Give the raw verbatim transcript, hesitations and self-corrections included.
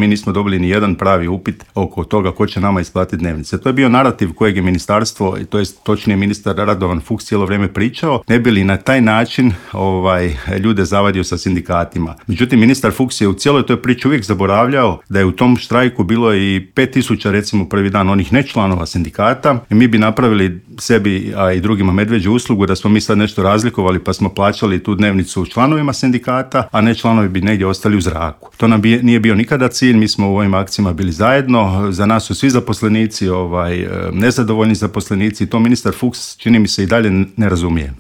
Mi nismo dobili ni jedan pravi upit oko toga ko će nama isplatiti dnevnice. To je bio narativ kojeg je ministarstvo, to jest točnije ministar Radovan Fuchs cijelo vrijeme pričao, ne bi li na taj način ovaj, ljude zavadio sa sindikatima. Međutim, ministar Fuchs je u cijeloj toj priči uvijek zaboravljao da je u tom štrajku bilo i pet tisuća recimo prvi dan onih nečlanova sindikata i mi bi napravili sebi, a i drugima medveđu uslugu da smo mi sad nešto razlikovali pa smo plaćali tu dnevnicu članovima sindikata, a ne članovi bi negdje ostali u zraku. To nam bi, nije bio nikada cilj, mi smo u ovim akcijama bili zajedno, za nas su svi zaposlenici, ovaj, nezadovoljni zaposlenici i to ministar Fuchs čini mi se i dalje ne razumije.